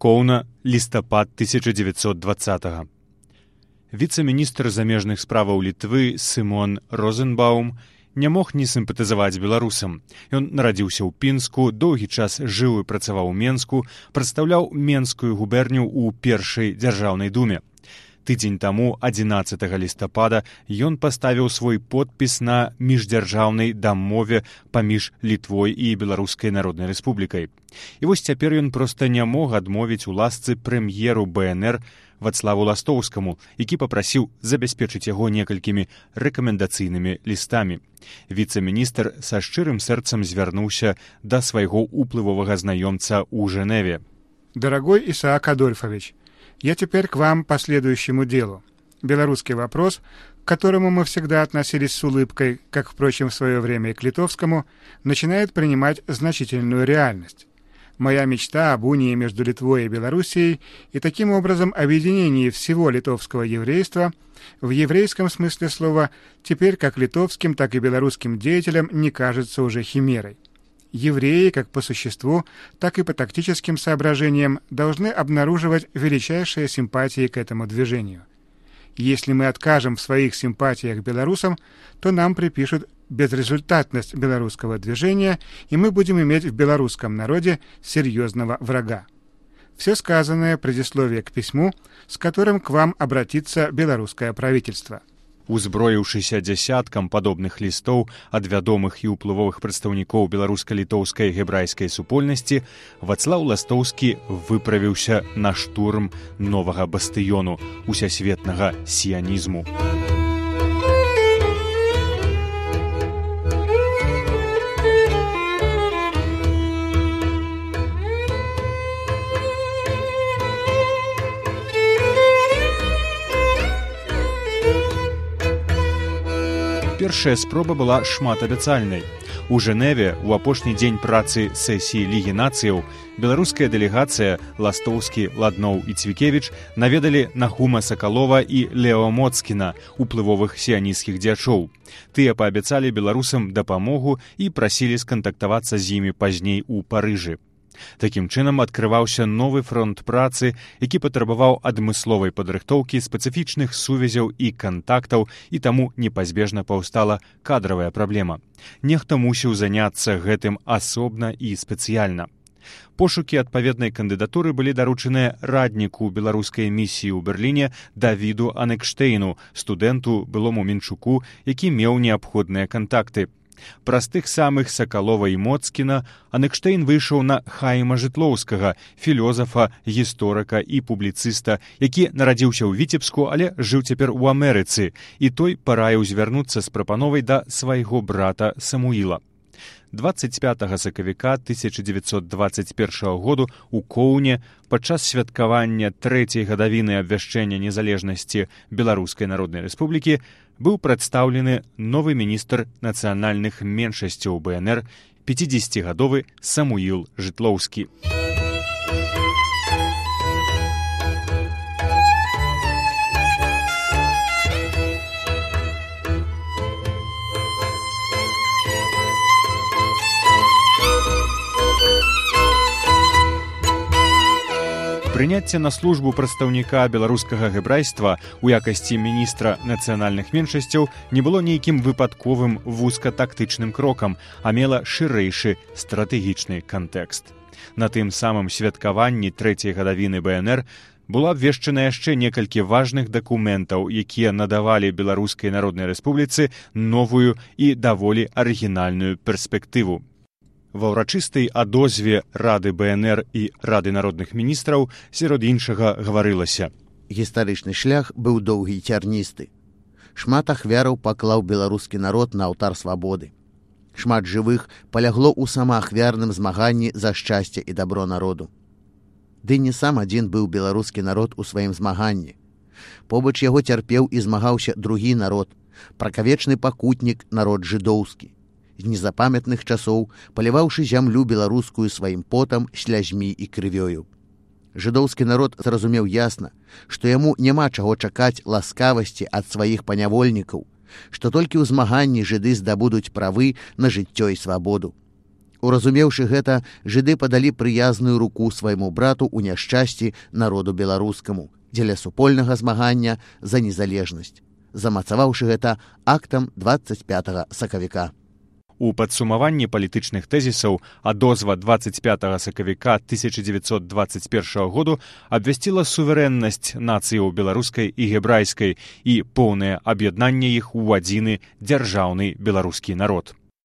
Коўна, лістапад 1920-го. Віцэ-міністр замежных справаў Літвы Сымон Розенбаум не мог не сімпатызаваць беларусам. Ён нарадзіўся ў Пінску, доўгі час жыў і працаваў у Менску, прадстаўляў Менскую губерню ў першай дзяржаўнай думе. Тыдзень таму, 11 лістапада, ён паставіў свой подпіс на міждзяржаўнай дамове паміж Літвой і Беларускай Народнай Рэспублікай. І вось цяпер ён проста не мог адмовіць у ласцы прэм'еру БНР Вацлаву Ластоўскаму, які папрасіў забяспечыць яго некалькімі рэкамендацыйнымі лістамі. Віцэ-міністр са шчырым сэрцам звярнуўся да свайго уплывовага знаёмца ў Женеве. Дорогой Исаак Адольфович, я теперь к вам по следующему делу. Белорусский вопрос, к которому мы всегда относились с улыбкой, как, впрочем, в свое время и к литовскому, начинает принимать значительную реальность. Моя мечта об унии между Литвой и Белоруссией и таким образом объединении всего литовского еврейства в еврейском смысле слова теперь как литовским, так и белорусским деятелям не кажется уже химерой. Евреи, как по существу, так и по тактическим соображениям, должны обнаруживать величайшие симпатии к этому движению. Если мы откажем в своих симпатиях белорусам, то нам припишут безрезультатность белорусского движения, и мы будем иметь в белорусском народе серьезного врага. Все сказанное предисловие к письму, с которым к вам обратится белорусское правительство. Узброіўшыся дзясяткам падобных лістоў ад вядомых і ўплывовых прадстаўнікоў беларуска-літоўскай гебрайскай супольнасці, Вацлаў Ластоўскі выправіўся на штурм новага бастыёну усесветнага сіянізму. Першая спроба была шматабяцальнай. У Женеве ў апошні дзень працы сесіі Лігі нацыяў беларуская дэлегацыя Ластоўскі, Ладноў і Цвікевіч наведалі Нахума Сакалова і Лео Моцкіна, уплывовых сіянісцкіх дзячоў. Тыя паабяцалі беларусам дапамогу і прасілі скантактавацца з імі пазней у Парыжы. Такім чынам адкрываўся новы фронт працы, які патрабаваў адмысловай падрыхтоўкі, спецыфічных сувязяў і кантактаў, і таму непазбежна паўстала кадравая праблема. Нехта мусіў заняцца гэтым асобна і спецыяльна. Пошукі адпаведнай кандыдатуры былі даручаныя радніку беларускай місіі ў Берліне Давіду Анекштейну, студэнту, былому Мінчуку, які меў неабходныя кантакты. Праз тых самых Сакалова і Моцкіна Анекштейн выйшаў на Хайма Жытлоўскага, філёзафа, гісторыка і публіцыста, які нарадзіўся ў Віцебску, але жыў цяпер у Амерыцы, і той параіў звярнуцца з прапановай да свайго брата Самуіла. 25 сакавіка 1921 году у Коўне падчас святкавання 3-й гадавіны абвяшчэння незалежнасці Беларускай Народнай Рэспублікі быў прадстаўлены новы міністр нацыянальных меншасцяў БНР 50-гадовы Самуіл Жытлоўскі. Прыняцце на службу прадстаўніка беларускага гебрайства ў якасці міністра нацыянальных меншасцяў не было нейкім выпадковым вузкатактычным крокам, а мела шырэйшы стратэгічны кантэкст. На тым самым святкаванні 3-й гадавіны БНР было абвешчана яшчэ некалькі важных дакументаў, якія надавалі Беларускай Народнай Рэспубліцы новую і даволі арыгінальную перспектыву. Ва ўрачыстай адозве Рады БНР і Рады народных міністраў сярод іншага гаварылася: гістарычны шлях быў доўгі і цярністы. Шмат ахвяраў паклаў беларускі народ на алтар свабоды. Шмат жывых палягло ў самаахвярным змаганні за шчасце і дабро народу. Ды не сам адзін быў беларускі народ у сваім змаганні. Побач яго цярпеў і змагаўся другі народ, пракавечны пакутнік народ жыдоўскі. З незапамятных часоў паліваўшы зямлю беларускую сваім потам, слязьмі і крывёю. Жыдоўскі народ зразумеў ясна, што яму няма чаго чакаць ласкавасці ад сваіх панявольнікаў, што толькі ў змаганні жыды здабудуць правы на жыццё і свабоду. Уразумеўшы гэта, жыды падалі прыязную руку свайму брату ў няшчасці народу беларускаму дзеля супольнага змагання за незалежнасць, замацаваўшы гэта актам 25 сакавіка. У падсумаванні палітычных тэзісаў адозва 25 сакавіка 1921 году абвясціла суверэннасць нацыяў беларускай і гебрайскай і поўнае аб'яднанне іх у адзіны дзяржаўны беларускі народ.